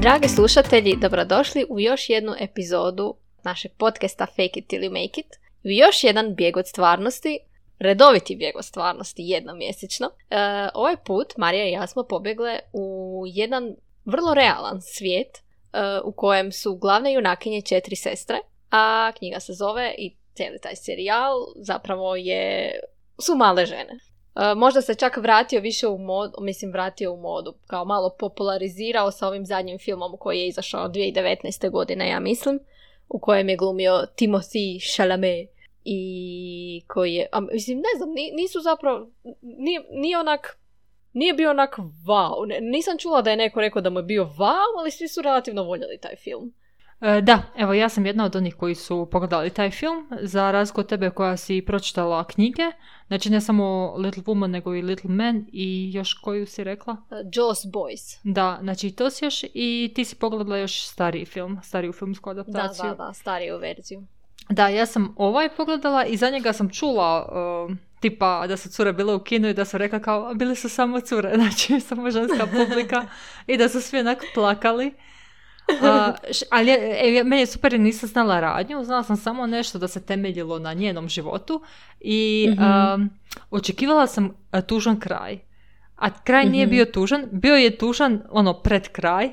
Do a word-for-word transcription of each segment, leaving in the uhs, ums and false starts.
Dragi slušatelji, dobrodošli u još jednu epizodu našeg podcasta Fake it till you make it. U još jedan bijeg od stvarnosti, redoviti bijeg od stvarnosti, jednomjesečno. E, ovaj put Marija i ja smo pobjegle u jedan vrlo realan svijet e, u kojem su glavne junakinje četiri sestre, a knjiga se zove i cijeli taj serijal zapravo je, su male žene. E, možda se čak vratio više u modu, mislim vratio u modu, kao malo popularizirao sa ovim zadnjim filmom koji je izašao dvije tisuće devetnaeste. godine, ja mislim, u kojem je glumio Timothée Chalamet i koji je, a, mislim, ne znam, nisu zapravo, nije, nije onak, nije bio onak wow, ne, nisam čula da je neko rekao da mu je bio wow, ali svi su relativno voljeli taj film. Da, evo ja sam jedna od onih koji su pogledali taj film, za razliku od tebe koja si pročitala knjige, znači ne samo Little Woman nego i Little Man i još koju si rekla? Uh, Jaws Boys. Da, znači to si još i ti si pogledala još stariji film, stariju filmsku adaptaciju. Da, da, da, stariju verziju. Da, ja sam ovaj pogledala i za njega sam čula uh, tipa da su cure bile u kinu i da su rekla kao bili su samo cure, znači samo ženska publika i da su svi onak plakali. Uh, ali e, meni je super jer nisam znala radnju, znala sam samo nešto da se temeljilo na njenom životu i mm-hmm. uh, očekivala sam uh, tužan kraj, a kraj mm-hmm. nije bio tužan, bio je tužan ono pred kraj,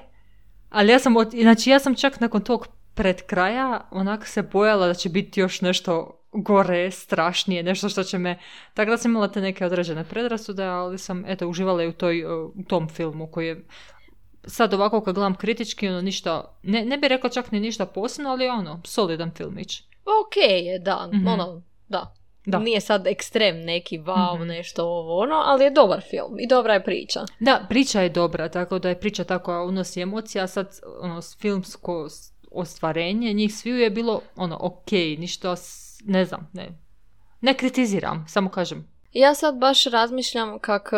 ali ja sam, znači ja sam čak nakon tog pred kraja onak se bojala da će biti još nešto gore, strašnije, nešto što će me, tako da sam imala te neke određene predrasude, ali sam eto uživala i u, toj, uh, u tom filmu koji je sad ovako kad gledam kritički, ono ništa, ne, ne bih rekla čak ni ništa posebno, ali ono, solidan filmić. Ok je, da, mm-hmm. ono, da. da. Nije sad ekstrem neki wow, mm-hmm. nešto ovo, ono, ali je dobar film i dobra je priča. Da, priča je dobra, tako da je priča tako unosi emocija, sad ono, filmsko ostvarenje, njih sviju je bilo, ono, ok, ništa, ne znam, ne, ne kritiziram, samo kažem. Ja sad baš razmišljam kak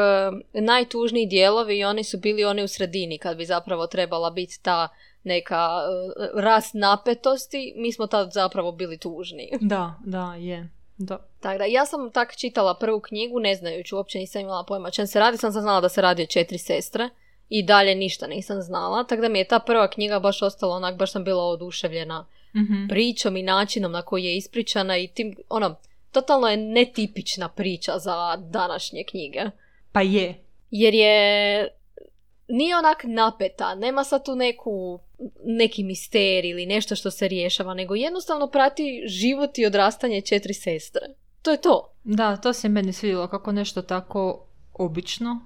najtužniji dijelovi i oni su bili oni u sredini kad bi zapravo trebala biti ta neka uh, rast napetosti, mi smo tad zapravo bili tužni. Da, da, je. Da. Tako da, ja sam tak čitala prvu knjigu, ne znajući, uopće nisam imala pojma čem se radi, sam znala da se radi o četiri sestre i dalje ništa nisam znala, tako da mi je ta prva knjiga baš ostala onak, baš sam bila oduševljena mm-hmm. pričom i načinom na koji je ispričana i tim, ono, totalno je netipična priča za današnje knjige. Pa je. Jer je, nije onak napeta, nema sad tu neku, neki misterij ili nešto što se rješava, nego jednostavno prati život i odrastanje četiri sestre. To je to. Da, to se meni svidjelo kako nešto tako obično,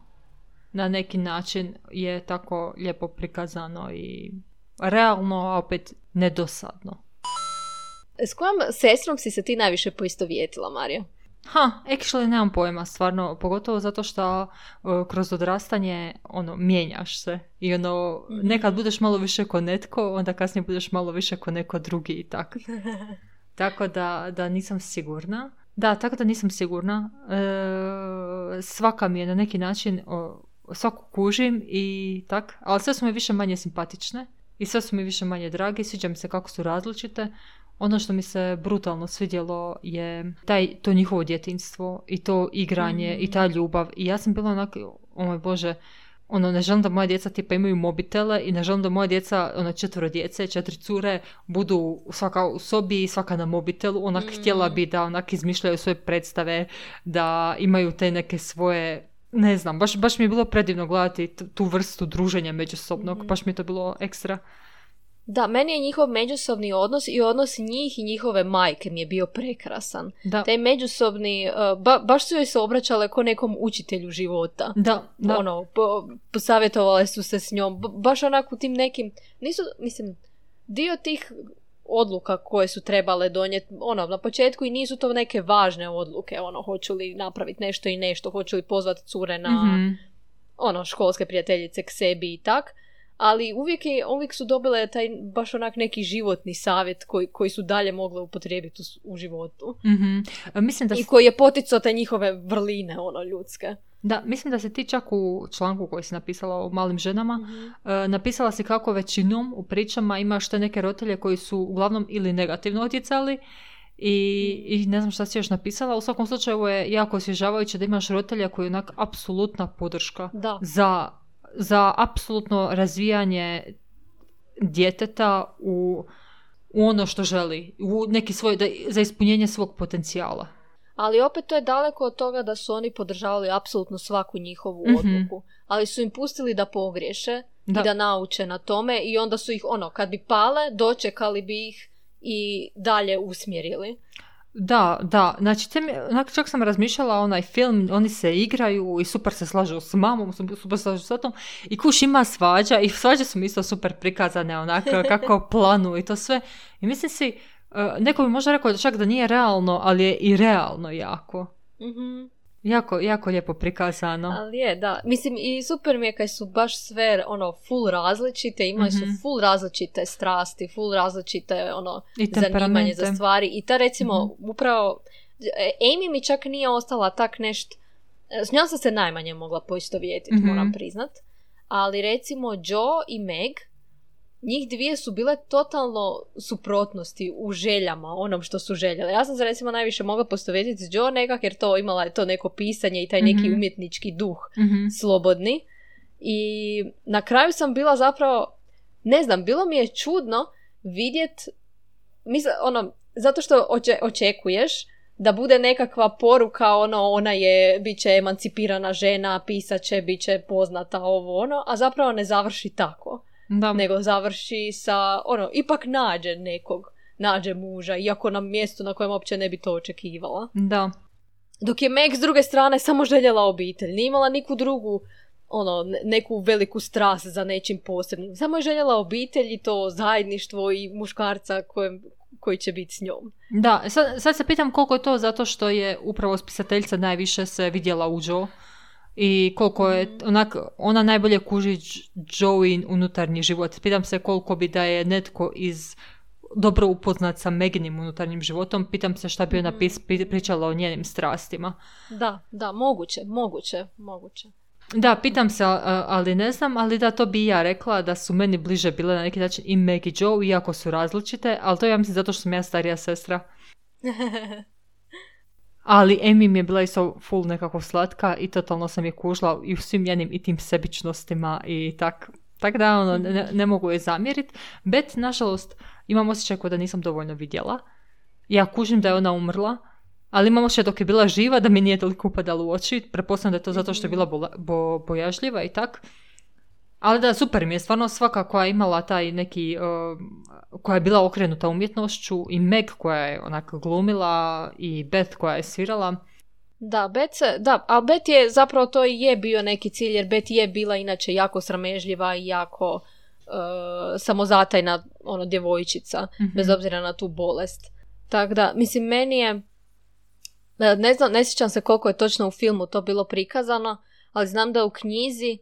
na neki način je tako lijepo prikazano i realno, a opet nedosadno. S kojom sestrom si se ti najviše poistovjetila, Marija? Ha, actually nemam pojma, stvarno, pogotovo zato što uh, kroz odrastanje, ono, mijenjaš se i ono, mm-hmm. nekad budeš malo više ko netko, onda kasnije budeš malo više ko neko drugi i tako. Tako da, da nisam sigurna. Da, tako da nisam sigurna. E, svaka mi je na neki način, o, svaku kužim i tak, ali sve su mi više manje simpatične i sve su mi više manje dragi, sviđa mi se kako su različite. Ono što mi se brutalno svidjelo je taj, to njihovo djetinjstvo i to igranje mm-hmm. i ta ljubav. I ja sam bila onako, o moj Bože, ono, ne želim da moja djeca tipa imaju mobitele i ne želim da moja djeca, ono, četvero djece, četiri cure, budu svaka u sobi i svaka na mobitelu. Onak mm-hmm. htjela bi da onak izmišljaju svoje predstave, da imaju te neke svoje, ne znam, baš, baš mi je bilo predivno gledati tu vrstu druženja međusobnog, mm-hmm. baš mi je to bilo ekstra. Da, meni je njihov međusobni odnos i odnos njih i njihove majke mi je bio prekrasan. Da. Taj međusobni, uh, ba, baš su joj se obraćale ko nekom učitelju života. Da, da. Ono, po, posavjetovale su se s njom, ba, baš onako tim nekim, nisu, mislim, dio tih odluka koje su trebale donijeti, ono, na početku i nisu to neke važne odluke, ono, hoću li napraviti nešto i nešto, hoću li pozvati cure na, mm-hmm. ono, školske prijateljice k sebi i tak. Ali uvijek, je, uvijek su dobile taj baš onak neki životni savjet koji, koji su dalje mogle upotrijebiti u, u životu. Mm-hmm. Mislim da I koji je poticao te njihove vrline, ono, ljudske. Da, mislim da se ti čak u članku koji si napisala o malim ženama, mm-hmm. uh, napisala si kako većinom u pričama imaš te neke roditelje koji su uglavnom ili negativno utjecali I, i ne znam šta si još napisala. U svakom slučaju je jako osvježavajuće da imaš roditelja koji je onak apsolutna podrška da. za, za apsolutno razvijanje djeteta u, u ono što želi, u neki svoj, da, za ispunjenje svog potencijala. Ali opet to je daleko od toga da su oni podržavali apsolutno svaku njihovu Mhm. odluku. Ali su im pustili da pogriješe Da. i da nauče na tome i onda su ih, ono, kad bi pale, dočekali bi ih i dalje usmjerili. Da, da, znači te mi, onak, čak sam razmišljala onaj film, oni se igraju i super se slažu s mamom, super se slažu s otom i kuš ima svađa i svađe su mi isto super prikazane onako kako planu i to sve. I mislim si, uh, neko bi možda rekao čak da nije realno, ali je i realno jako. Mhm. Jako, jako lijepo prikazano. Ali je, da. Mislim, i super mi je kad su baš sve, ono, full različite, imaju Mhm. su full različite strasti, full različite, ono, I zanimanje temperamente. za stvari. I ta, recimo, upravo, e, Amy mi čak nije ostala tak nešto, s njom sam se najmanje mogla poistovjetiti, Mhm. moram priznat. Ali, recimo, Joe i Meg, njih dvije su bile totalno suprotnosti u željama, onom što su željele. Ja sam se recimo najviše mogla poistovjetiti s Joe nekak, jer to imala je to neko pisanje i taj neki Mhm. umjetnički duh Mhm. slobodni. I na kraju sam bila zapravo, ne znam, bilo mi je čudno vidjet, misle, ono, zato što oče, očekuješ da bude nekakva poruka, ono, ona je, bit će emancipirana žena, pisat će, bit će poznata, ovo, ono, a zapravo ne završi tako. Da. Nego završi sa, ono, ipak nađe nekog, nađe muža, iako na mjestu na kojem uopće ne bi to očekivala. Da. Dok je Meg s druge strane samo željela obitelj, nije imala niku drugu, ono, ne- neku veliku strast za nečim posebnim. Samo je željela obitelj i to zajedništvo i muškarca kojem, koji će biti s njom. Da, sad, sad se pitam koliko je to zato što je upravo spisateljica najviše se vidjela u Joe i koliko je onak, ona najbolje kuži Joein unutarnji život. Pitam se koliko bi da je netko iz dobro upoznat sa Meginim unutarnjim životom, pitam se šta bi ona pis, pri- pričala o njenim strastima. Da, da, moguće, moguće, moguće. Da, pitam se, a- ali ne znam, ali da, to bi i ja rekla da su meni bliže bile na neki način i Meg i Joe, iako su različite, ali to ja mislim zato što sam ja starija sestra. Ali Amy mi je bila isto full nekako slatka i totalno sam je kužila i u svim njenim i tim sebičnostima i tak. Tak da, ono, ne, ne mogu je zamjeriti. Bet, nažalost, imam osjećaj kao da nisam dovoljno vidjela. Ja kužim da je ona umrla, ali imam osjećaj dok je bila živa da mi nije toliko upadalo u oči. Pretpostavljam da je to zato što je bila bola, bo, bojažljiva i tak. Ali da, super mi je stvarno svaka koja je imala taj neki, uh, koja je bila okrenuta umjetnošću i Meg koja je onako glumila i Beth koja je svirala. Da, Beth se, da, ali Beth je, zapravo to i je bio neki cilj, jer Beth je bila inače jako sramežljiva i jako uh, samozatajna, ono, djevojčica, Mhm. bez obzira na tu bolest. Tako da, mislim, meni je, ne znam, ne sjećam se koliko je točno u filmu to bilo prikazano, ali znam da u knjizi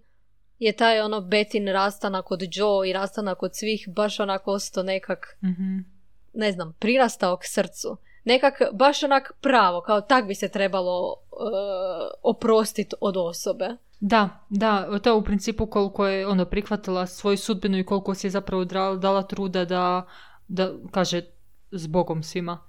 je taj ono Bethin rastanak od Joe i rastanak od svih baš onako ostao nekak, Mhm. ne znam, prirastao k srcu. Nekak baš onak pravo, kao tak bi se trebalo uh, oprostiti od osobe. Da, da, to je u principu koliko je ono prihvatila svoju sudbinu i koliko si je zapravo dra- dala truda da, da kaže s Bogom svima.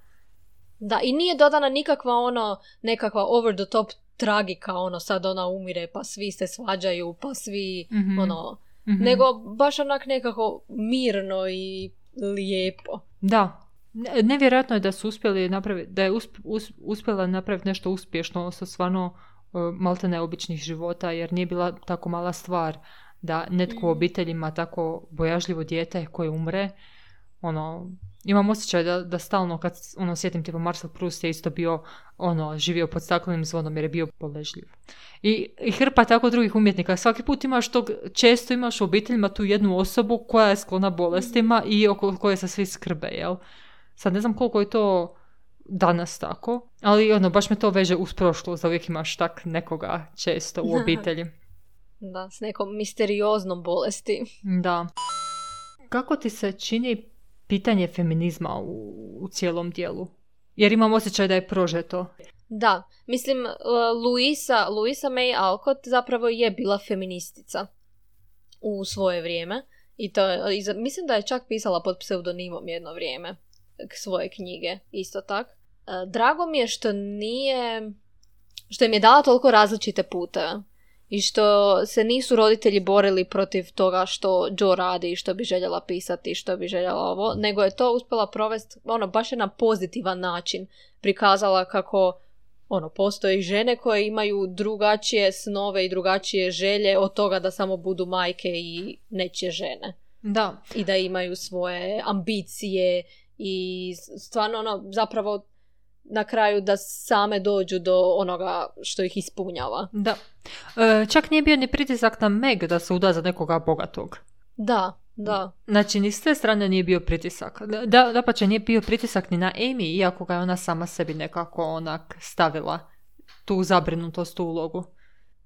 Da, i nije dodana nikakva ono, nekakva over the top tragika, ono sad ona umire pa svi se svađaju, pa svi Mhm. ono, Mhm. nego baš onak nekako mirno i lijepo. Da, Ne- nevjerojatno je da su uspjeli napraviti, da je usp- us- uspjela napraviti nešto uspješno sa stvarno uh, malte neobičnih života, jer nije bila tako mala stvar da netko u obitelji ima tako bojažljivo dijete koje umre. Ono, imam osjećaj da, da stalno kad ono, sjetim tipa Marcel Proust je isto bio ono, živio pod staklenim zvonom jer je bio boležljiv. I, i hrpa tako drugih umjetnika. Svaki put imaš tog, često imaš u obiteljima tu jednu osobu koja je sklona bolestima i oko koje se svi skrbe, jel? Sad ne znam koliko je to danas tako, ali ono, baš me to veže uz prošlost, da uvijek imaš tak nekoga često u obitelji. Da, s nekom misterioznom bolesti. Da. Kako ti se čini pitanje feminizma u, u cijelom dijelu? Jer imam osjećaj da je prožeto. Da, mislim, uh, Louisa, Louisa May Alcott zapravo je bila feministica u svoje vrijeme. I to je, i za- mislim da je čak pisala pod pseudonimom jedno vrijeme k- svoje knjige, isto tak. Uh, drago mi je što nije, što im je dala toliko različite puteve. I što se nisu roditelji borili protiv toga što Joe radi i što bi željela pisati, što bi željela ovo, nego je to uspjela provesti, ono, baš je na pozitivan način prikazala kako, ono, postoje žene koje imaju drugačije snove i drugačije želje od toga da samo budu majke i nečije žene. Da. I da imaju svoje ambicije i stvarno, ono, zapravo na kraju da same dođu do onoga što ih ispunjava. Da. E, čak nije bio ni pritisak na Meg da se uda za nekoga bogatog. Da, da. Znači, ni s te strane nije bio pritisak. Da, da pa će nije bio pritisak ni na Amy, iako ga je ona sama sebi nekako onak stavila tu zabrinutost u ulogu.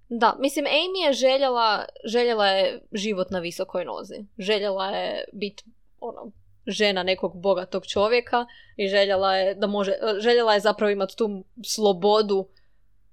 Da, mislim, Amy je željela, željela je život na visokoj nozi. Željela je biti, ono, žena nekog bogatog čovjeka i željela je da može, željela je zapravo imati tu slobodu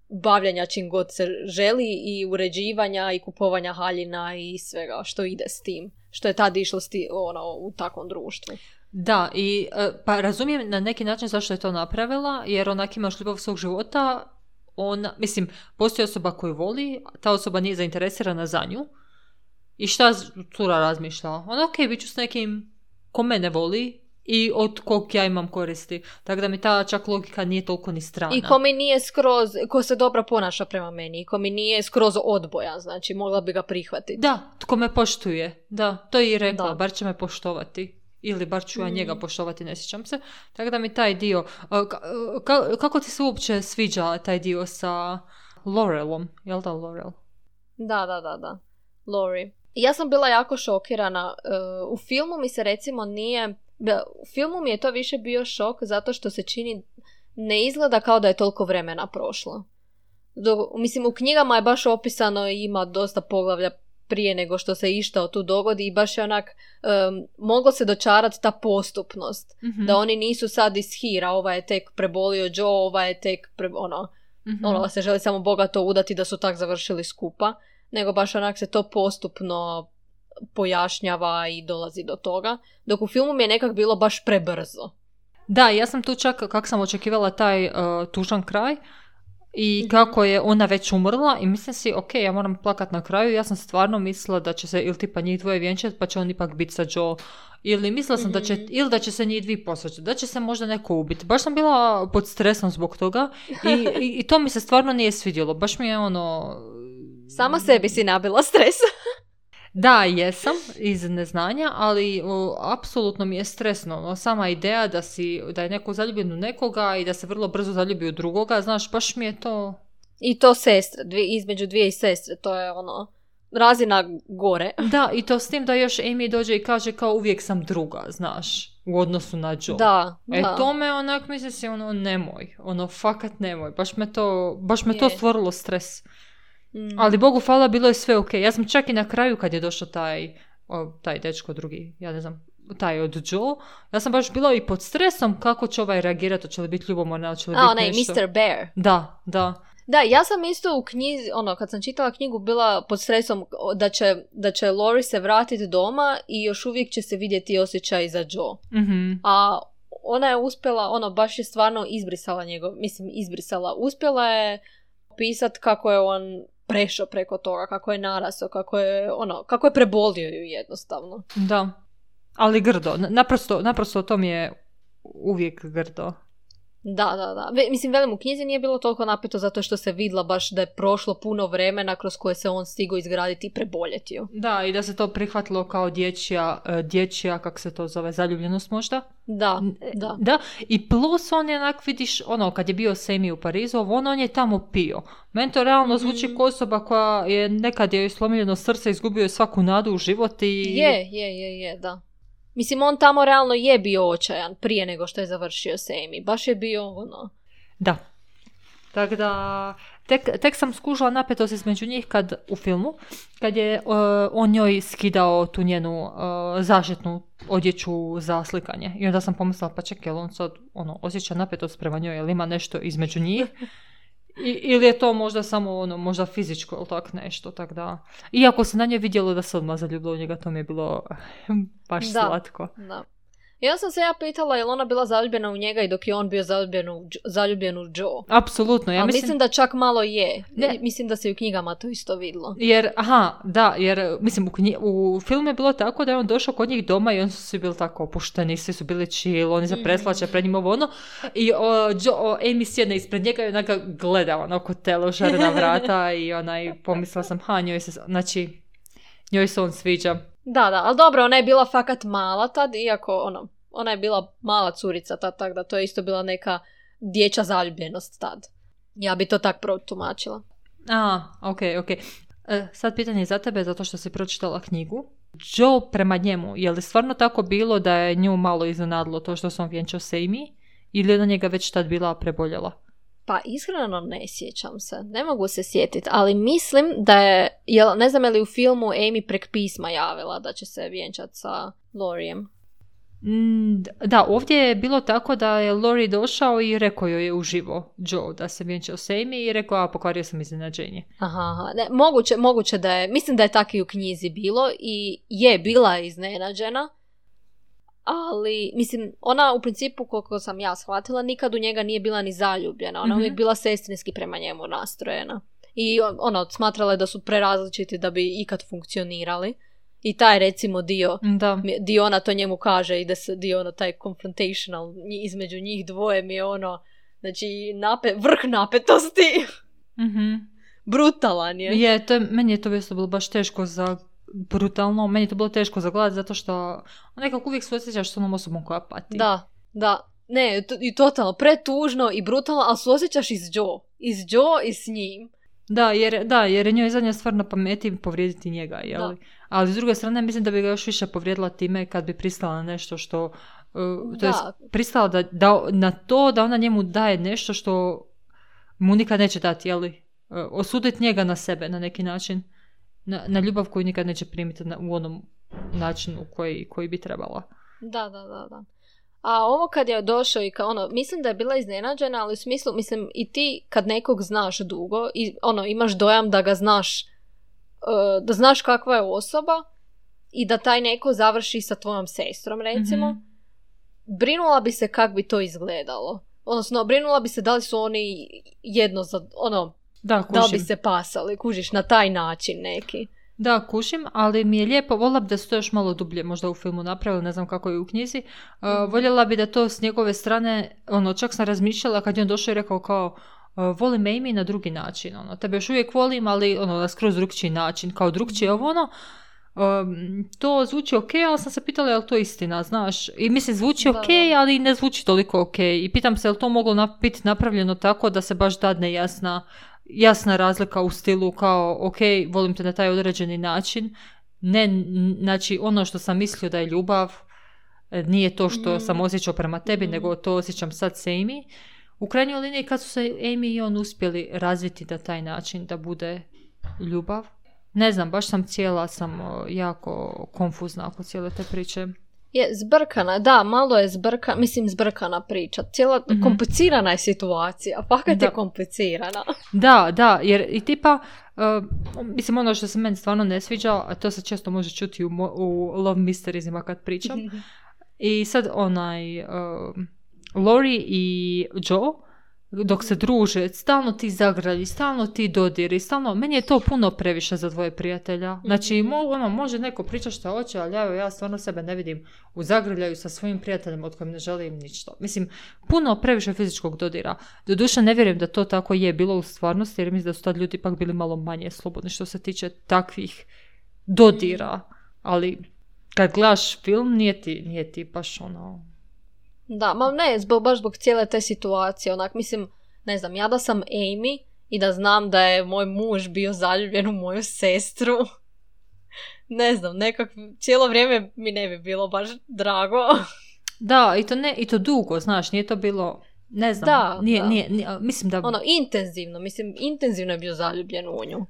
bavljanja čim god se želi i uređivanja i kupovanja haljina i svega što ide s tim. Što je tad išlo sti, ono, u takvom društvu. Da, i pa razumijem na neki način zašto je to napravila, jer onak imaš ljubav svog života, ona, mislim, postoji osoba koju voli, ta osoba nije zainteresirana za nju. I šta cura razmišlja? Ona, ok, bit ću s nekim ko mene voli i od kog ja imam koristi. Tako da mi ta čak logika nije toliko ni strana. I ko mi nije skroz, ko se dobro ponaša prema meni, i ko mi nije skroz odbojan, znači mogla bi ga prihvatiti. Da, tko me poštuje. Da, to je i rekla, da. Bar će me poštovati. Ili bar ću ja njega poštovati, ne sjećam se. Tako da mi taj dio... Ka, kako ti se uopće sviđa taj dio sa Laurelom? Jel da Laurel? Da, da, da, da. Lori. Ja sam bila jako šokirana. Uh, u filmu mi se recimo nije... U filmu mi je to više bio šok zato što se čini... Ne izgleda kao da je toliko vremena prošlo. Do, mislim, u knjigama je baš opisano i ima dosta poglavlja prije nego što se išta tu dogodi i baš je onak... Um, moglo se dočarati ta postupnost. Mm-hmm. Da oni nisu sad iz hira. Ova je tek prebolio Joe, ova je tek... Pre, ono, mm-hmm. ono se želi samo bogato udati da su tak završili skupa. Nego baš onak se to postupno pojašnjava i dolazi do toga. Dok u filmu mi je nekak bilo baš prebrzo. Da, ja sam tu čak, kako sam očekivala taj uh, tužan kraj i kako je ona već umrla i mislim si, ok, ja moram plakat na kraju. Ja sam stvarno mislila da će se ili tipa njih dvoje vjenčati pa će on ipak biti sa Joe. Ili mislila sam mm-hmm. da će, ili da će se njih dvi posvađati, da će se možda neko ubiti. Baš sam bila pod stresom zbog toga i, i, i to mi se stvarno nije svidjelo. Baš mi je ono... Sama sebi si nabila stres. Da, jesam, iz neznanja, ali o, apsolutno mi je stresno. No, sama ideja da, si, da je neko zaljubljen u nekoga i da se vrlo brzo zaljubi u drugoga, znaš, baš mi je to... I to sestre, dvije, između dvije i sestre, to je ono, razina gore. Da, i to s tim da još Amy dođe i kaže kao uvijek sam druga, znaš, u odnosu na Joe. Da, e, da. to me onak, misli si, ono, nemoj, ono, fakat nemoj, baš me to, baš me to stvorilo stres. Mm. Ali Bogu hvala, bilo je sve ok. Ja sam čak i na kraju kad je došao taj, o, taj dečko drugi, ja ne znam, taj od Joe, ja sam baš bila i pod stresom kako će ovaj reagirati, će li biti ljubomorna, će li biti onaj, nešto. mister Bear. Da, da. Da, ja sam isto u knjizi, ono, kad sam čitala knjigu, bila pod stresom da će, da će Lori se vratiti doma i još uvijek će se vidjeti osjećaj za Joe. Mm-hmm. A ona je uspjela, ono, baš je stvarno izbrisala njegov, mislim, izbrisala. Uspjela je pisati kako je on prešao preko toga, kako je narasao, kako je, ono, kako je prebolio ju jednostavno. Da, ali grdo. Naprosto, naprosto to mi je uvijek grdo. Da, da, da. Mislim, velim, u knjizi nije bilo toliko napeto zato što se vidla baš da je prošlo puno vremena kroz koje se on stigao izgraditi i preboljeti ju. Da, i da se to prihvatilo kao dječja, dječja, kako se to zove, zaljubljenost možda. Da, da. Da, i plus on je onak, vidiš, ono, kad je bio s Amy u Parizu, on, on je tamo pio. Meni to realno zvuči mm. kao osoba koja je nekad je slomljeno srce, izgubio je svaku nadu u život i... Je, je, je, je, da. Mislim, on tamo realno je bio očajan prije nego što je završio s Amy. Baš je bio ono... Da. Tako da, tek, tek sam skužila napetost između njih kad, u filmu, kad je uh, on njoj skidao tu njenu uh, zaštitnu odjeću za slikanje. I onda sam pomislila, pa čekaj, on sad ono, osjeća napetost prema njoj, jel ima nešto između njih? I, ili je to možda samo ono, možda fizičko ili tak nešto, tak da. Iako se na njoj vidjelo da se odmah zaljubilo u njega, to mi je bilo baš da, slatko. Da. Ja sam se ja pitala je li ona bila zaljubljena u njega i dok je on bio zaljubljen u, zaljubljen u Joe. Apsolutno. Ja A mislim... mislim da čak malo je. Ne. Mislim da se i u knjigama to isto vidlo. Jer, aha, da, jer, mislim, u, knji... u filmu je bilo tako da je on došao kod njih doma i oni su svi bili tako opušteni, svi su bili chill, oni se preslače pred njim ovo ono. I o, Joe, o, Amy sjedne ispred njega i onaka gleda onako tele šarena vrata i onaj, pomislila sam, ha, njoj se, znači, njoj se on sviđa. Da, da, ali dobro, ona je bila fakat mala tad, iako, ono, ona je bila mala curica tad, tako da to je isto bila neka dječja zaljubljenost tad. Ja bi to tak protumačila. A, ok, ok. E, sad pitanje za tebe, zato što si pročitala knjigu. Joe prema njemu, je li stvarno tako bilo da je nju malo iznenadilo to što sam vjenčao s Amy? Ili je na njega već tad bila preboljela? Pa iskreno ne sjećam se, ne mogu se sjetiti, ali mislim da je, jel, ne znam je li u filmu Amy prek pisma javila da će se vjenčati sa Laurijem. Mm, da, ovdje je bilo tako da je Laurie došao i rekao joj je uživo Joe da se vjenčao s Amy i rekao, a pokvario sam iznenađenje. Aha, aha. Ne, moguće, moguće da je, mislim da je tako i u knjizi bilo i je bila iznenađena. Ali, mislim, ona u principu, koliko sam ja shvatila, nikad u njega nije bila ni zaljubljena. Ona mm-hmm. uvijek bila sestrinski prema njemu nastrojena. I ona smatrala je da su prerazličiti da bi ikad funkcionirali. I taj, recimo, dio, da. dio ona to njemu kaže i da se dio ono, taj confrontational između njih dvoje mi je ono, znači, nape, vrh napetosti. Mm-hmm. Brutalan je. Je, to je, meni je to vjesto bilo baš teško za brutalno, meni je to bilo teško za gledati zato što nekako uvijek se osjećaš s onom osobom koja pati. Da, da. Ne, to, i totalno, pretužno i brutalno, ali se osjećaš i s Joe. I s Joe i s njim. Da, jer, da, jer je njoj zadnja stvar na pameti povrijediti njega, jel? Ali s druge strane mislim da bi ga još više povrijedila time kad bi pristala na nešto što, uh, to je pristala da, da, na to da ona njemu daje nešto što mu nikad neće dati, jel? Uh, osuditi njega na sebe na neki način. Na, na ljubav koju nikad neće primiti na, u onom načinu koji, koji bi trebala. Da, da, da, da. A ovo kad je došao i kao ono, mislim da je bila iznenađena, ali u smislu, mislim, i ti kad nekog znaš dugo i ono, imaš dojam da ga znaš, uh, da znaš kakva je osoba i da taj neko završi sa tvojom sestrom, recimo, mm-hmm. brinula bi se kak bi to izgledalo. Odnosno, brinula bi se da li su oni jedno za, ono, Da, da li bi se pasali, kužiš, na taj način neki. Da, kušim, ali mi je lijepo, voljela bi da se to još malo dublje možda u filmu napravili, ne znam kako je u knjizi. Uh, mm-hmm. Voljela bi da to s njegove strane, ono, čak sam razmišljala kad je on došao i rekao kao, uh, volim Amy na drugi način, ono, tebe još uvijek volim, ali ono, na skroz drugčiji način, kao drugčije ovo, ono, um, to zvuči ok, ali sam se pitala je li to istina, znaš, i mislim zvuči ok, ali ne zvuči toliko ok, i pitam se je li to moglo nap- biti napravljeno tako da se baš dadne jasna jasna razlika u stilu kao, ok, volim te na taj određeni način, ne, znači ono što sam mislio da je ljubav nije to što mm. sam osjećao prema tebi, mm. nego to osjećam sad s Amy. U krajnjoj liniji kad su se Amy i on uspjeli razviti na taj način da bude ljubav, ne znam, baš sam cijela sam jako konfuzna oko cijele te priče. Je zbrkana, da, malo je zbrkana, mislim zbrkana priča. Cijela, mm-hmm. komplicirana je situacija, fakat je komplicirana. Da, da, jer i tipa, uh, mislim ono što se meni stvarno ne sviđa, a to se često može čuti u, mo- u Love Mysteriesima kad pričam. Mm-hmm. I sad onaj, uh, Laurie i Joe, dok se druže, stalno ti zagrlji, stalno ti dodiri, stalno, meni je to puno previše za dvoje prijatelja. Znači, mo, ono, može neko pričati što hoće, ali ja, ja stvarno sebe ne vidim u zagrljaju sa svojim prijateljem od kojim ne želim ništa. Mislim, puno previše fizičkog dodira. Doduše, ne vjerujem da to tako je bilo u stvarnosti, jer mislim da su tad ljudi ipak bili malo manje slobodni što se tiče takvih dodira. Ali, kad gledaš film, nije ti, nije ti baš ono... Da, ma ne, zbog, baš zbog cijele te situacije, onak, mislim, ne znam, ja da sam Amy i da znam da je moj muž bio zaljubljen u moju sestru, ne znam, nekak, cijelo vrijeme mi ne bi bilo baš drago. Da, i to ne, i to dugo, znaš, nije to bilo, ne znam, da, nije, da. Nije, nije, mislim da... Ono, intenzivno, mislim, intenzivno je bio zaljubljen u nju.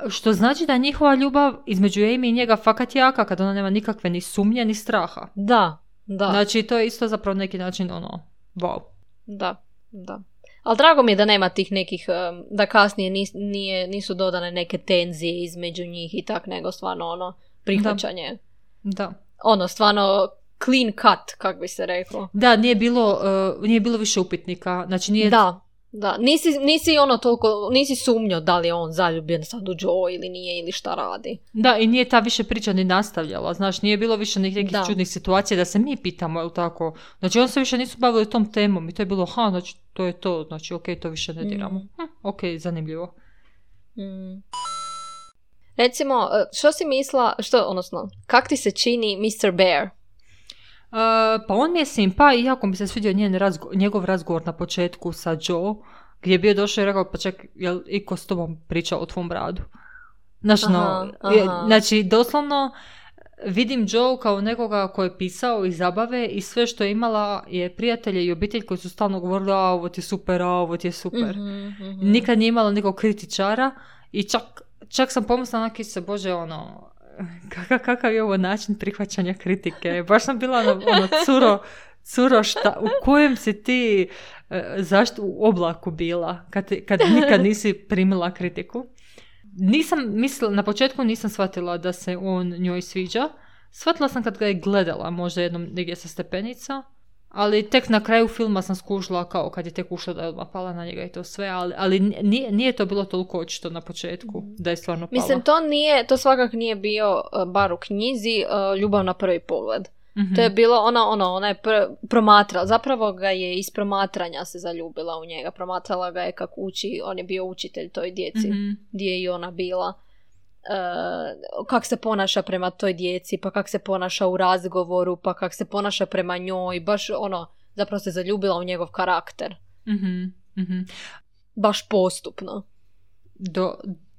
Što znači da je njihova ljubav između Amy i njega fakat jaka, kad ona nema nikakve ni sumnje, ni straha. Da. Da. Znači, to je isto zapravo neki način, ono, wow. Da, da. Ali drago mi je da nema tih nekih, da kasnije nis, nije, nisu dodane neke tenzije između njih i tak, nego stvarno, ono, prihvaćanje. Da. Da. Ono, stvarno, clean cut, kako bi se reklo. Da, nije bilo, uh, nije bilo više upitnika. Znači nije... Da, da. Nisi, nisi ono toliko, nisi sumnjao da li je on zaljubljen sad u Joe ili nije ili šta radi. Da, i nije ta više priča ni nastavljala. Znaš, nije bilo više nekih Da. čudnih situacija da se mi pitamo, je li tako? Znači, on se više nisu bavili tom temom i to je bilo, ha, znači, to je to. Znači, ok, to više ne diramo. Mm. Hm, ok, zanimljivo. Mm. Recimo, što si mislila, što, odnosno, kak ti se čini mister Bear? Uh, pa on mi je simpa i jako mi se svidio njen razgo- njegov razgovor na početku sa Joe, gdje je bio došao i rekao, pa ček, jel iko s tobom pričao o tvom radu? Znaš, Aha, no, aha. je- znači, doslovno vidim Joe kao nekoga koji je pisao iz zabave i sve što je imala je prijatelje i obitelj koji su stalno govorili, a ovo ti je super, a ovo ti je super. Mhm, mhm. Nikad nije imala nekog kritičara i čak, čak sam pomislila na se, bože, ono, kakav, kakav je ovo način prihvaćanja kritike. Baš sam bila ono, ono curo, curo šta, u kojem si ti, e, zašto u oblaku bila, kad, kad nikad nisi primila kritiku. Nisam mislila, na početku nisam shvatila da se on njoj sviđa. Shvatila sam kad ga je gledala, možda jednom negdje sa stepenica, ali tek na kraju filma sam skužila kao kad je tek ušla da je odmah pala na njega i to sve, ali, ali nije, nije to bilo toliko očito na početku da je stvarno pala. Mislim, to nije, to svakako nije bio, uh, bar u knjizi, uh, ljubav na prvi pogled. Mhm. To je bilo, ona, ono, ona je pr- promatrala, zapravo ga je iz promatranja se zaljubila u njega, promatrala ga je kako uči, on je bio učitelj toj djeci, Mhm. gdje je i ona bila. Uh, kak se ponaša prema toj djeci, pa kak se ponaša u razgovoru, pa kak se ponaša prema njoj, baš ono, zapravo se zaljubila u njegov karakter. Mhm, mhm. Baš postupno. Do,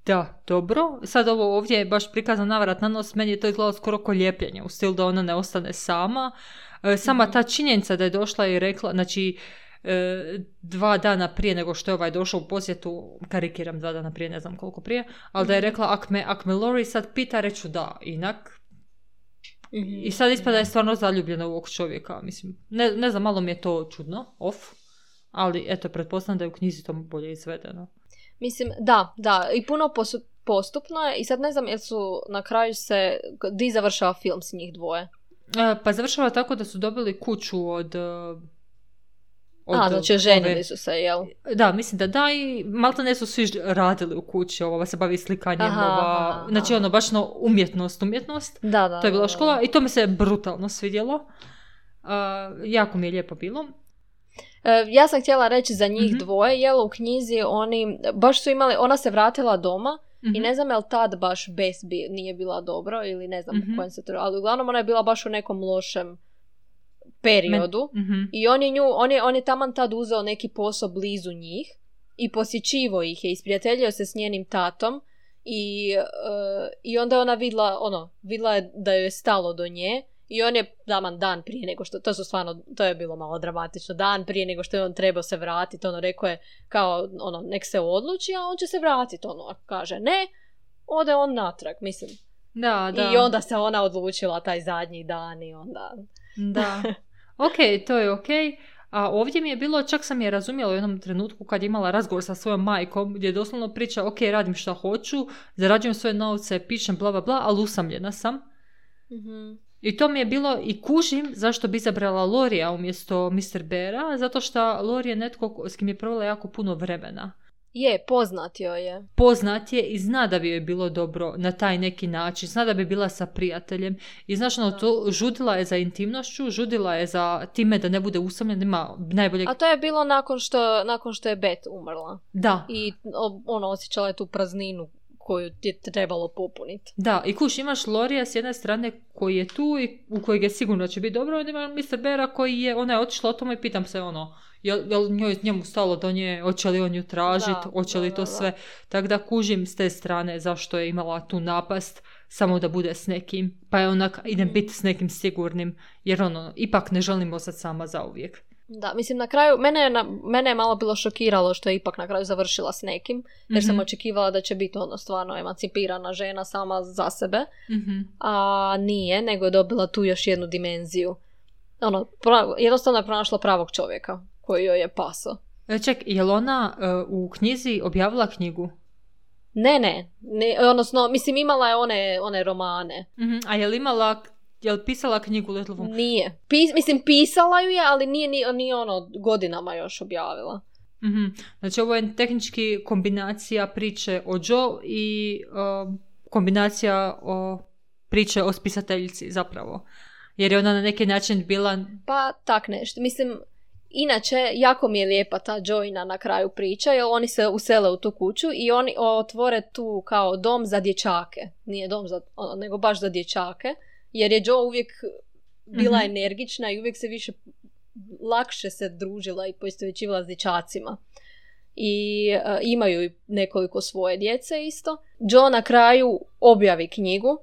da, dobro. Sad ovo ovdje je baš prikazan navrat na nos, meni je to izgledalo skoro ko lijepljenje, u stilu da ona ne ostane sama. E, sama ta činjenica da je došla i rekla, znači, e, dva dana prije nego što je ovaj došao u posjetu, karikiram dva dana prije, ne znam koliko prije, ali da je rekla, ak me, ak me Lori sad pita, reću da, inak. Mhm. I sad ispada je stvarno zaljubljena u ovog čovjeka, mislim. Ne, ne znam, malo mi je to čudno, off, ali eto, pretpostavljam da je u knjizi to bolje izvedeno. Mislim, da, da, i puno posu- postupno je i sad ne znam jel su na kraju se, di završava film s njih dvoje. E, pa završava tako da su dobili kuću od... e, od A, znači oženili ove- su se, jel? Da, mislim da da i malta ne su svi radili u kući, ova se bavi slikanjem, Aha, ova, aha, znači aha. ono, baš no, umjetnost, umjetnost. Da, da. To je bila da, škola da. i to mi se brutalno svidjelo. Uh, jako mi je lijepo bilo. E, ja sam htjela reći za njih Mhm. dvoje, jel u knjizi oni, baš su imali, ona se vratila doma Mhm. i ne znam jel tad baš Bess bi, nije bila dobro ili ne znam Mhm. u kojem se to, ali uglavnom ona je bila baš u nekom lošem periodu. Mhm. I on je, nju, on, je, on je taman tad uzeo neki posao blizu njih i posjećivo ih je, isprijateljio se s njenim tatom i, uh, i onda je ona vidla, ono, vidla je da joj je stalo do nje i on je taman dan prije nego što, to su stvarno, to je bilo malo dramatično, dan prije nego što je on trebao se vratiti, ono, rekao je kao, ono, nek se odluči, a on će se vratiti, ono, a kaže ne, ode on natrag, mislim. Da, da. I onda se ona odlučila taj zadnji dan i onda... Da. Ok, to je ok. A ovdje mi je bilo, čak sam je razumjela u jednom trenutku kad je imala razgovor sa svojom majkom, gdje je doslovno priča, ok, radim šta hoću, zarađujem svoje novce, pišem bla bla bla, ali usamljena sam. Mhm. I to mi je bilo, i kužim zašto bi izabrala Lorija umjesto mister Beara, zato što Lori je netko s kim je provela jako puno vremena. Je, poznat joj je. Poznat je i zna da bi joj bilo dobro na taj neki način, zna da bi bila sa prijateljem i znaš ono, to žudila je za intimnošću, žudila je za time da ne bude usamljena, ima najbolje... A to je bilo nakon što, nakon što je Beth umrla. Da, I o- ono, osjećala je tu prazninu koju ti je trebalo popuniti. da, i kuš, imaš Lorija s jedne strane koji je tu i u kojeg je sigurno će biti dobro, onda ima mister Beara koji je, ona je otišla o tome i pitam se ono, jel, jel njoj, njemu stalo do nje, hoće li on ju tražiti, Da, hoće li da, to da, sve, tako da kužim s te strane zašto je imala tu napast, samo da bude s nekim, pa je onak, idem biti s nekim sigurnim, jer ono, ipak ne želim ostati sama zauvijek. Da, mislim na kraju, mene je, na, mene je malo bilo šokiralo što je ipak na kraju završila s nekim, jer sam Mhm. očekivala da će biti ono stvarno emancipirana žena sama za sebe, Mhm. a nije, nego je dobila tu još jednu dimenziju. Ono, pra, jednostavno je pronašla pravog čovjeka koji joj je paso. E, Ček, je li ona e, u knjizi objavila knjigu? Ne, ne, ne, odnosno, mislim imala je one, one romane. Mhm. A je li imala, je li pisala knjigu Little Women? Nije. Pis, mislim, pisala ju je, ali nije ni, ni ono godinama još objavila. Mm-hmm. Znači, ovo je tehnički kombinacija priče o Joe i uh, kombinacija o priče o spisateljici, zapravo. Jer je ona na neki način bila... Pa, tak nešto. Mislim, inače, jako mi je lijepa ta Joina na kraju priča, jer oni se usele u tu kuću i oni otvore tu kao dom za dječake. Nije dom za, nego baš za dječake, jer je Joe uvijek bila mm-hmm. energična i uvijek se više lakše se družila i poistovjećivala s dječacima. I uh, imaju nekoliko svoje djece isto. Joe na kraju objavi knjigu,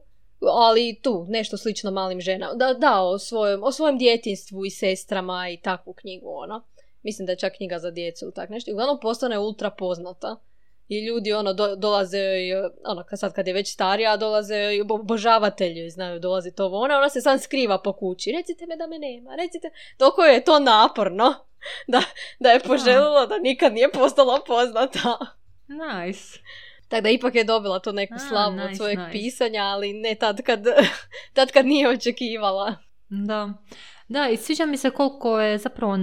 ali tu, nešto slično malim ženama. Da, da o, svojem, o svojem djetinstvu i sestrama i takvu knjigu, ono. Mislim da je čak knjiga za djecu ili tak nešto. I uglavnom postane ultra poznata. I ljudi, ono, do, dolaze, ono, sad kad je već starija, dolaze obožavatelji, znaju, dolazi to ona, ona se sam skriva po kući. Recite me da me nema, recite. Toliko je to naporno da, da je poželjela da nikad nije postala poznata. Nice. Tako da ipak je dobila to neku slavu nice, od svojeg nice. pisanja, ali ne tad kad, tad kad nije očekivala. Da. Da, i sviđa mi se koliko je zapravo,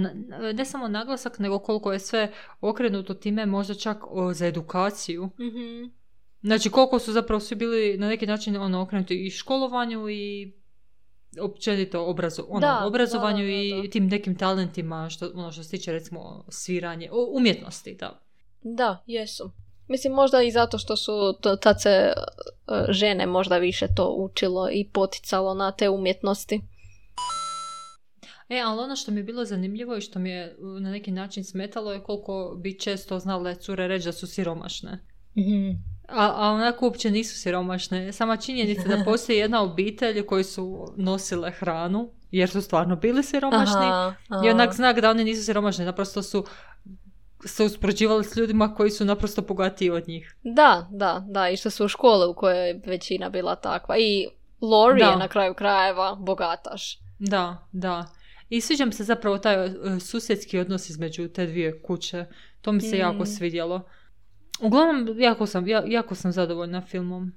ne samo naglasak, nego koliko je sve okrenuto time, možda čak o, za edukaciju. Mm-hmm. Znači, koliko su zapravo svi bili na neki način ono, okrenuti i školovanju i općenito obrazo, ono, da, obrazovanju da, da, da, da. i tim nekim talentima, što, ono što se tiče recimo sviranje, umjetnosti, da. Da, jesu. Mislim, možda i zato što su to, tad se uh, žene možda više to učilo i poticalo na te umjetnosti. E, ali ono što mi je bilo zanimljivo i što mi je na neki način smetalo je koliko bi često znale cure reći da su siromašne. Mm-hmm. A, a onako uopće nisu siromašne. Sama činjenica da postoji jedna obitelj koji su nosile hranu, jer su stvarno bili siromašni. Aha, aha. I onak znak da oni nisu siromašni, naprosto su se uspoređivali s ljudima koji su naprosto bogatiji od njih. Da, da, da, i što su u škole u kojoj je većina bila takva. I Lori je na kraju krajeva bogataš. Da, da. I sviđa mi se zapravo taj uh, susjedski odnos između te dvije kuće. To mi se mm. jako svidjelo. Uglavnom, jako sam, ja, jako sam zadovoljna filmom.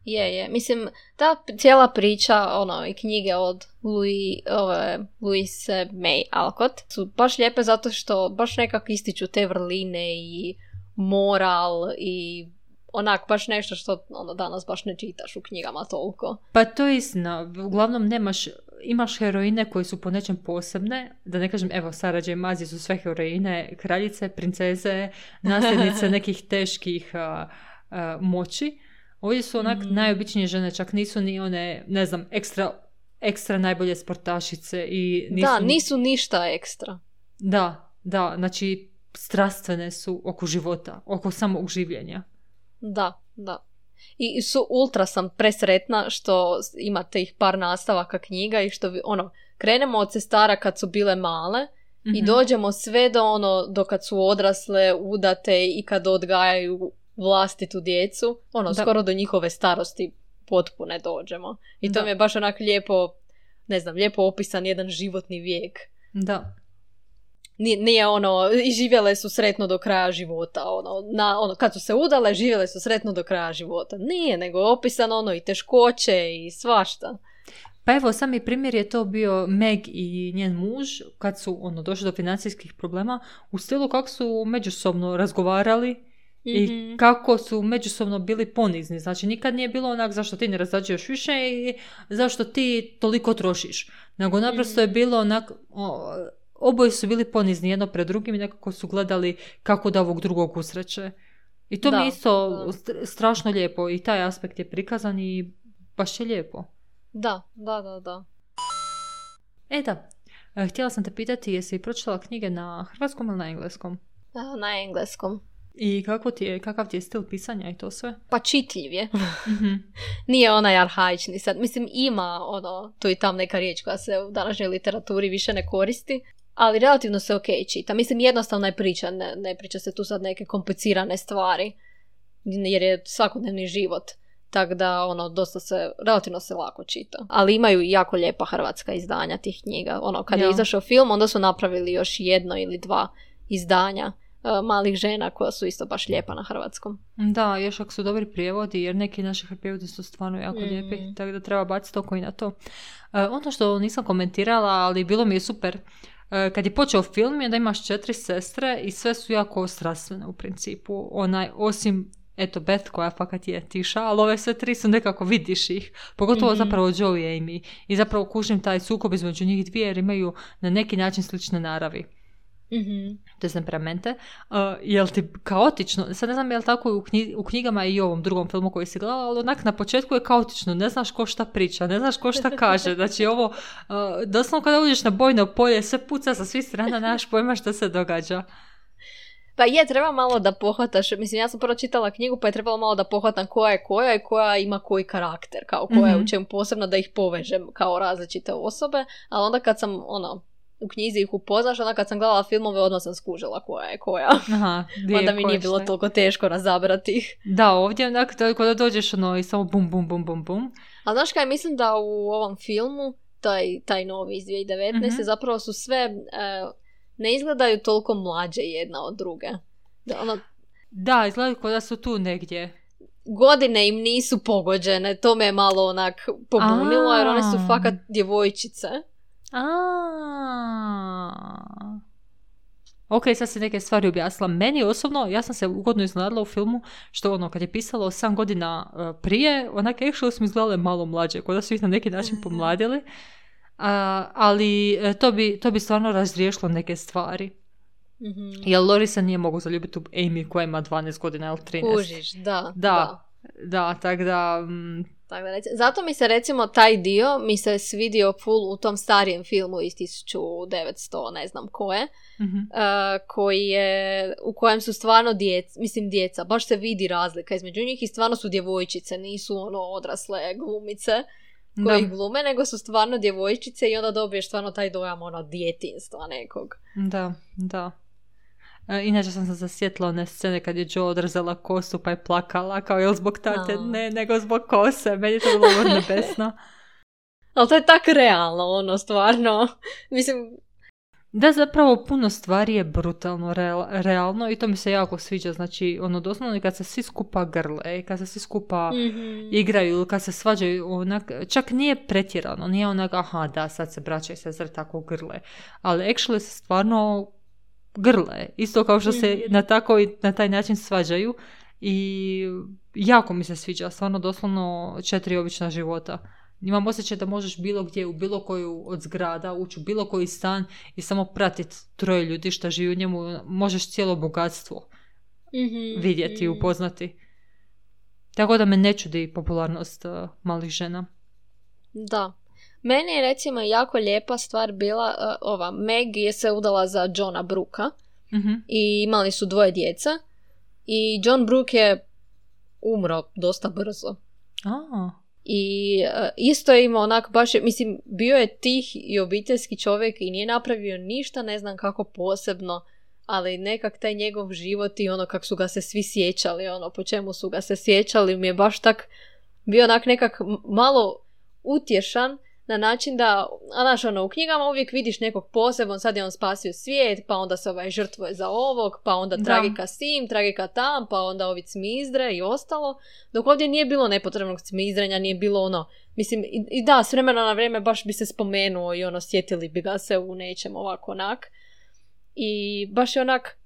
Je, je. Mislim, ta cijela priča, ono, i knjige od Louis, ove, Louise May Alcott su baš lijepe zato što baš nekako ističu te vrline i moral i onak baš nešto što ono, danas baš ne čitaš u knjigama toliko. Pa to je istina. Uglavnom nemaš, imaš heroine koje su po nečem posebne, da ne kažem, evo, Sarah J. Maas su sve heroine, kraljice, princeze, nasljednice nekih teških uh, uh, moći. Ovdje su onak mm. najobičnije žene, čak nisu ni one, ne znam, ekstra, ekstra najbolje sportašice. I nisu, da, nisu ništa ekstra. Da, da, znači strastvene su oko života, oko samog življenja. Da, da. I su ultra sam presretna što imate ih par nastavaka knjiga i što vi, ono, krenemo od sestara kad su bile male mm-hmm. i dođemo sve do ono, do kad su odrasle, udate i kad odgajaju vlastitu djecu, ono, da. Skoro do njihove starosti potpune dođemo. I to da. Mi je baš onak lijepo, ne znam, lijepo opisan jedan životni vijek. Da. Nije, nije ono, i živjele su sretno do kraja života, ono, na, ono, kad su se udale, živjele su sretno do kraja života. Nije, nego je opisan ono i teškoće i svašta. Pa evo, sami primjer je to bio Meg i njen muž, kad su ono, došli do financijskih problema, u stilu kako su međusobno razgovarali mm-hmm. i kako su međusobno bili ponizni. Znači, nikad nije bilo onak zašto ti ne razrađuješ više i zašto ti toliko trošiš. Nego naprosto mm-hmm. je bilo onak... O, oboje su bili ponizni jedno pred drugim i nekako su gledali kako da ovog drugog usreće. I to da, mi je isto da. strašno lijepo i taj aspekt je prikazan i baš je lijepo. Da, da, da, da. E da, htjela sam te pitati jesi pročitala knjige na hrvatskom ili na engleskom? Na engleskom. I kako ti je, kakav ti je stil pisanja i to sve? Pa čitljiv je. Mm-hmm. Nije onaj arhaični sad. Mislim, ima ono, tu i tam neka riječ koja se u današnjoj literaturi više ne koristi. Ali relativno se ok čita. Mislim, jednostavna je priča, ne, ne priča se tu sad neke komplicirane stvari, jer je svakodnevni život. Tako da, ono, dosta se, relativno se lako čita. Ali imaju jako lijepa hrvatska izdanja tih knjiga. Ono, kad ja. je izašao film, onda su napravili još jedno ili dva izdanja malih žena koja su isto baš lijepa na hrvatskom. Da, još ako su dobri prijevodi, jer neki naši prijevodi su stvarno jako mm. lijepi, tako da treba baciti oko i na to. Uh, ono što nisam komentirala, ali bilo mi je super, uh, kad je počeo film je da imaš četiri sestre i sve su jako strastvene u principu. Onaj, osim eto Beth koja fakat je tiša, ali ove sve tri su nekako vidiš ih. Pogotovo mm-hmm. zapravo Joe i Amy. I zapravo kužim taj sukob između njih dvije jer imaju na neki način slične naravi. Mm-hmm. To je temperamente. Uh, jel ti kaotično, sad ne znam je li tako u, knji, u knjigama i ovom drugom filmu koji si gledala, ali onak na početku je kaotično, ne znaš ko šta priča, ne znaš ko šta kaže. Znači ovo, uh, doslovno kada uđeš na bojno polje, sve puca sa svih strana, nemaš pojma šta se događa. Pa je, treba malo da pohvataš, mislim, ja sam prvo čitala knjigu, pa je trebalo malo da pohvatam koja je koja i koja ima koji karakter, kao koja je mm-hmm. u čemu posebno da ih povežem kao različite osobe, ali onda kad sam, ono, u knjizi ih upoznaš, onda kad sam gledala filmove, odmah sam skužila koja je koja. Aha, onda mi nije bilo toliko teško razabrati ih. Da, ovdje onak, kada dođeš ono i samo bum, bum, bum, bum, bum. A znaš kaj, mislim da u ovom filmu, taj, taj novi iz dvije tisuće devetnaeste Mm-hmm. zapravo su sve... Uh, ne izgledaju toliko mlađe jedna od druge. Da, ono, da izgledaju kao da su tu negdje. Godine im nisu pogođene, to me je malo onak pobunilo, A-a. jer one su fakat djevojčice. A-a. Ok, sad se neke stvari objasnila. Meni osobno, ja sam se ugodno izgledala u filmu, što ono, kad je pisalo osam godina uh, prije, onak actually smo izgledale malo mlađe, kao da su ih na neki način pomladili. Uh, ali to bi, to bi stvarno razriješilo neke stvari. Mm-hmm. Jer Lori se nije mogu zaljubiti u Amy koja ima dvanaest godina ili trinaest. Kužiš, da. Da, da, da tak da... Mm. Tak da reci. Zato mi se recimo taj dio mi se svidio full u tom starijem filmu iz tisuću devetsto ne znam koje, mm-hmm. uh, koji je, u kojem su stvarno djeca, mislim djeca, baš se vidi razlika između njih i stvarno su djevojčice, nisu ono odrasle glumice koji da. glume, nego su stvarno djevojčice i onda dobiješ stvarno taj dojam ono djetinstva nekog. Da, da. E, inače sam se zasjetila one scene kad je Joe odrezala kosu pa je plakala kao jel zbog tate, no. ne, nego zbog kose. Meni je to bilo vrlo nebesno. Ali to je tak realno, ono, stvarno. Mislim... Da, zapravo puno stvari je brutalno real, realno i to mi se jako sviđa. Znači, ono, doslovno kad se svi skupa grle, kad se svi skupa mm-hmm. igraju, kad se svađaju, onak, čak nije pretjerano, nije onak, aha, da, sad se braća i sestre tako grle. Ali actually se stvarno grle. Isto kao što se mm-hmm. na, tako i na taj način svađaju i jako mi se sviđa. Stvarno, doslovno četiri obična života. Imam osjećaj da možeš bilo gdje u bilo koju od zgrada ući u bilo koji stan i samo pratiti troje ljudi što živi u njemu. Možeš cijelo bogatstvo mm-hmm, vidjeti i mm-hmm. upoznati. Tako da me ne čudi popularnost uh, malih žena. Da. Meni je recimo jako lijepa stvar bila uh, ova. Meg je se udala za Johna Brooka mm-hmm. i imali su dvoje djeca i John Brook je umro dosta brzo. A. I uh, isto je imao onak baš, mislim, bio je tih i obiteljski čovjek i nije napravio ništa, ne znam kako posebno, ali nekak taj njegov život i ono kako su ga se svi sjećali, ono po čemu su ga se sjećali, mi je baš tak bio onak nekak malo utješan na način da, a znaš, ono, u knjigama uvijek vidiš nekog posebno, sad je on spasio svijet, pa onda se ovaj žrtvuje za ovog, pa onda tragika s tim, tragika tam, pa onda ovi cmizdre i ostalo, dok ovdje nije bilo nepotrebnog cmizdrenja, nije bilo ono, mislim, i, i da, s vremena na vrijeme baš bi se spomenuo i ono, sjetili bi ga se u nečem ovako onak, i baš je onak,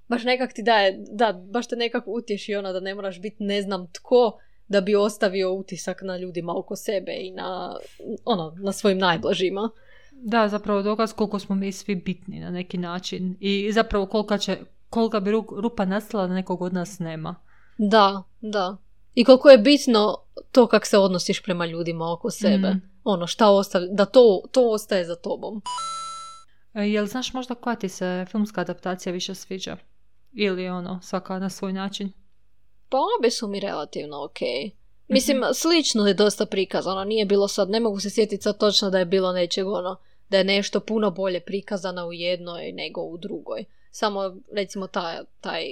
baš nekak ti daje, da, baš te nekako utješi ono da ne moraš biti ne znam tko, da bi ostavio utisak na ljudima oko sebe i na, ono, na svojim najbližima. Da, zapravo dokaz koliko smo mi svi bitni na neki način i zapravo kolika, će, kolika bi rupa nastala da nekog od nas nema. Da, da. I koliko je bitno to kako se odnosiš prema ljudima oko sebe. Mm. Ono, šta ostavi, da to, to ostaje za tobom. E, jel znaš možda koja ti se filmska adaptacija više sviđa? Ili ono, svaka na svoj način? Pa obje su mi relativno ok. Mislim, mm-hmm. slično je dosta prikazano. Nije bilo sad, ne mogu se sjetiti sad točno da je bilo nečeg ono, da je nešto puno bolje prikazano u jednoj nego u drugoj. Samo, recimo, taj, taj,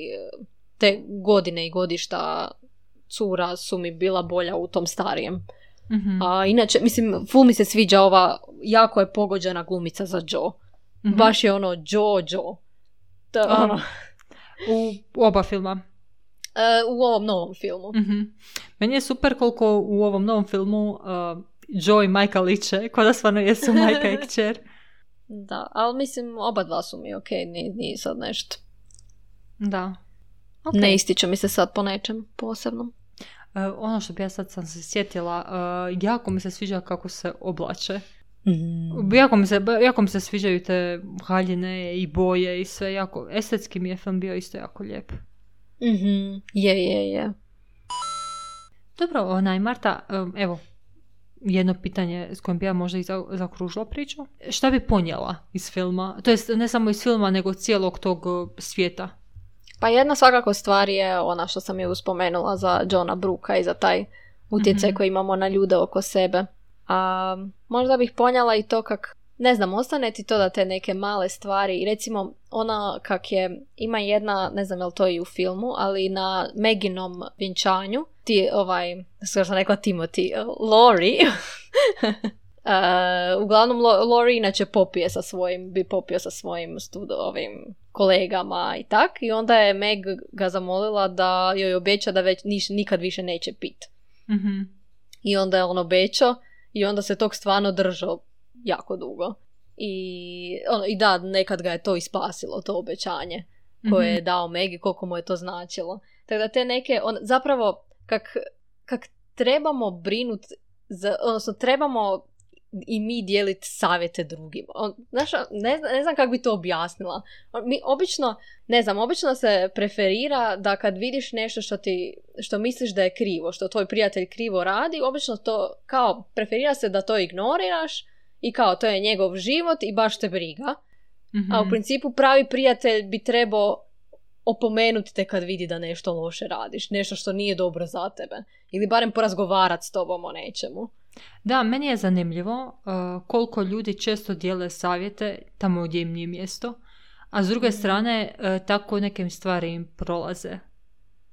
te godine i godišta cura su mi bila bolja u tom starijem. Mm-hmm. A inače, mislim, ful mi se sviđa ova, jako je pogođena glumica za Joe. Mm-hmm. Baš je ono Joe, Joe. To, ono... U, u oba filma. Uh, u ovom novom filmu. Mm-hmm. Meni je super koliko u ovom novom filmu uh, Joe i majka liče, kao da stvarno jesu majka i kćer. Da, ali mislim oba dva su mi ok, nije, nije sad nešto. Da. Okay. Ne ističe mi se sad po nečem posebnom. Uh, ono što bi ja sad sam se sjetila, uh, jako mi se sviđa kako se oblače. Mm. Jako, mi se, jako mi se sviđaju te haljine i boje i sve. Jako, estetski mi je film bio isto jako lijep. Mm-hmm. Je, je, je. Dobro, onaj, Marta, um, evo, jedno pitanje s kojim bi ja možda i zakružila priču. Šta bi ponijela iz filma? To jest, ne samo iz filma, nego cijelog tog uh, svijeta. Pa jedna svakako stvar je ona što sam je uspomenula za Johna Brooka i za taj utjecaj mm-hmm. koji imamo na ljude oko sebe. A možda bih ponijela i to kak, ne znam, ostane ti to da te neke male stvari, i recimo ona kak je, ima jedna, ne znam je li to i u filmu, ali na Meginom vjenčanju, ti ovaj, što sam rekla Timothy, Laurie, uh, uglavnom Laurie inače popije sa svojim, bi popio sa svojim studo, ovim kolegama i tak, i onda je Meg ga zamolila da joj obeća da već niš, nikad više neće pit. Mm-hmm. I onda je on obećao i onda se tog stvarno držao jako dugo. I, ono, i da, nekad ga je to ispasilo, to obećanje koje mm-hmm. je dao Meg i koliko mu je to značilo. Tako da te neke, on, zapravo, kak, kak trebamo brinuti, odnosno trebamo i mi dijeliti savjete drugima. On, znaš, ne, ne znam kako bi to objasnila. Mi obično, ne znam, obično se preferira da kad vidiš nešto što ti, što misliš da je krivo, što tvoj prijatelj krivo radi, obično to, kao, preferira se da to ignoriraš i kao, to je njegov život i baš te briga. Mm-hmm. A u principu pravi prijatelj bi trebao opomenuti te kad vidi da nešto loše radiš, nešto što nije dobro za tebe. Ili barem porazgovarati s tobom o nečemu. Da, meni je zanimljivo uh, koliko ljudi često dijele savjete tamo gdje im nije mjesto, a s druge mm. strane uh, tako nekim stvari im prolaze.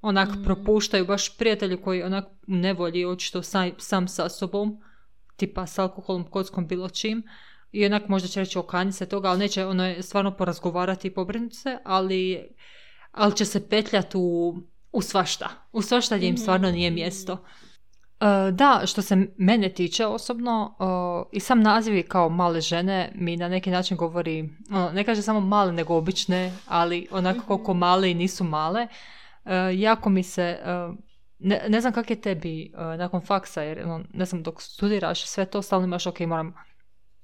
Onak mm. propuštaju baš prijatelji koji onak ne volji očito sam, sam sa sobom, tipa s alkoholom, kockom, bilo čim, i onak možda će reći okani se toga, ali neće ono je stvarno porazgovarati i pobrinuti se, ali, ali će se petljati u, u svašta. U svašta gdje im stvarno nije mjesto. Uh, da, što se mene tiče osobno, uh, i sam naziv kao male žene mi na neki način govori, uh, ne kaže samo male nego obične, ali onako koliko male i nisu male. Uh, jako mi se, uh, ne, ne znam kak je tebi uh, nakon faksa, jer no, ne znam, dok studiraš sve to stalno imaš, ok, moram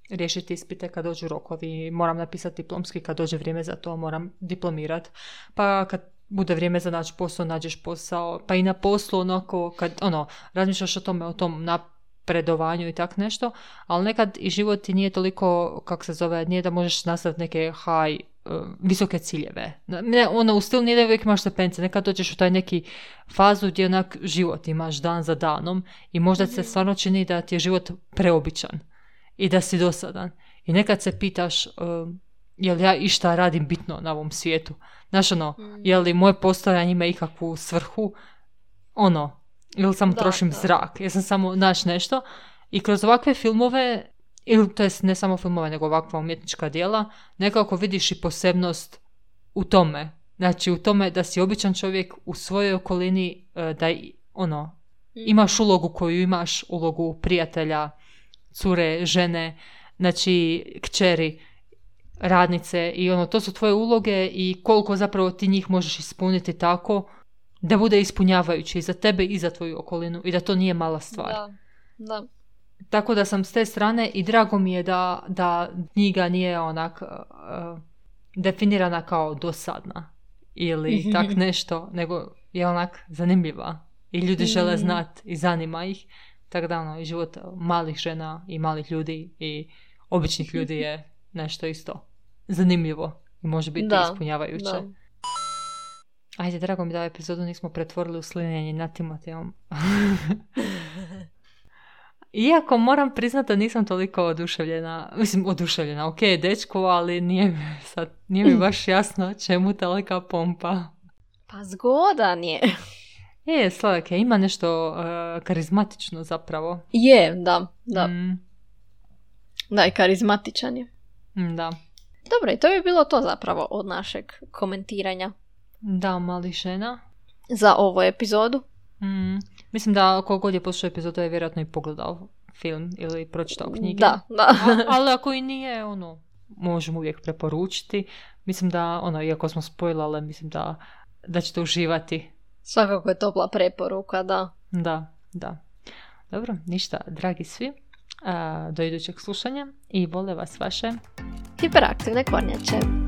riješiti ispite kad dođu rokovi, moram napisati diplomski kad dođe vrijeme za to, moram diplomirati, pa kad bude vrijeme za naći posao, nađeš posao, pa i na poslu onako, kad ono, razmišljaš o tome, o tom napredovanju i tak nešto, ali nekad i život ti nije toliko, kako se zove, nije da možeš nastaviti neke high, uh, visoke ciljeve. Ne, ono, u stilu nije da uvijek imaš stepence, nekad dođeš u taj neki fazu gdje onak život imaš dan za danom i možda se stvarno čini da ti je život preobičan i da si dosadan. I nekad se pitaš, uh, jel ja išta radim bitno na ovom svijetu? Znaš ono, mm. je li moje postojanje ima ikakvu svrhu? Ono, ili samo da, trošim da. zrak? Ja sam samo naš nešto. I kroz ovakve filmove, ili to jest ne samo filmove, nego ovakva umjetnička djela, nekako vidiš i posebnost u tome. Znači u tome da si običan čovjek u svojoj okolini, da ono, mm. imaš ulogu koju imaš, ulogu prijatelja, cure, žene, znači kćeri, radnice i ono, to su tvoje uloge i koliko zapravo ti njih možeš ispuniti tako da bude ispunjavajući i za tebe i za tvoju okolinu i da to nije mala stvar. Da, da. Tako da sam s te strane i drago mi je da, da knjiga nije onak uh, definirana kao dosadna ili tak nešto, nego je onak zanimljiva i ljudi žele znati i zanima ih. Tako da ono, i život malih žena i malih ljudi i običnih ljudi je nešto isto zanimljivo i može biti da, ispunjavajuće. Da. Ajde, drago mi da ovu epizodu nismo pretvorili u slinjenje nad Timotejom. Iako moram priznati da nisam toliko oduševljena, mislim oduševljena, ok, dečko, ali nije mi, sad, nije mi baš jasno čemu tolika pompa. Pa zgodan je. Je, sladak je, ima nešto uh, karizmatično zapravo. Je, da, da. Mm. Da, i karizmatičan je. Da. Dobro, i to bi bilo to zapravo od našeg komentiranja Da, Mali žena. Za ovu epizodu. Mm, mislim da kogod je poslušao epizodu je vjerojatno i pogledao film ili pročitao knjige. Da, da. A, ali ako i nije, ono, možemo uvijek preporučiti. Mislim da, ono, iako smo spojlale, mislim da, da ćete uživati. Svakako je topla preporuka, da. Da, da. Dobro, ništa, dragi svi, a, do idućeg slušanja i vole vas vaše hiperaktivne kornjače.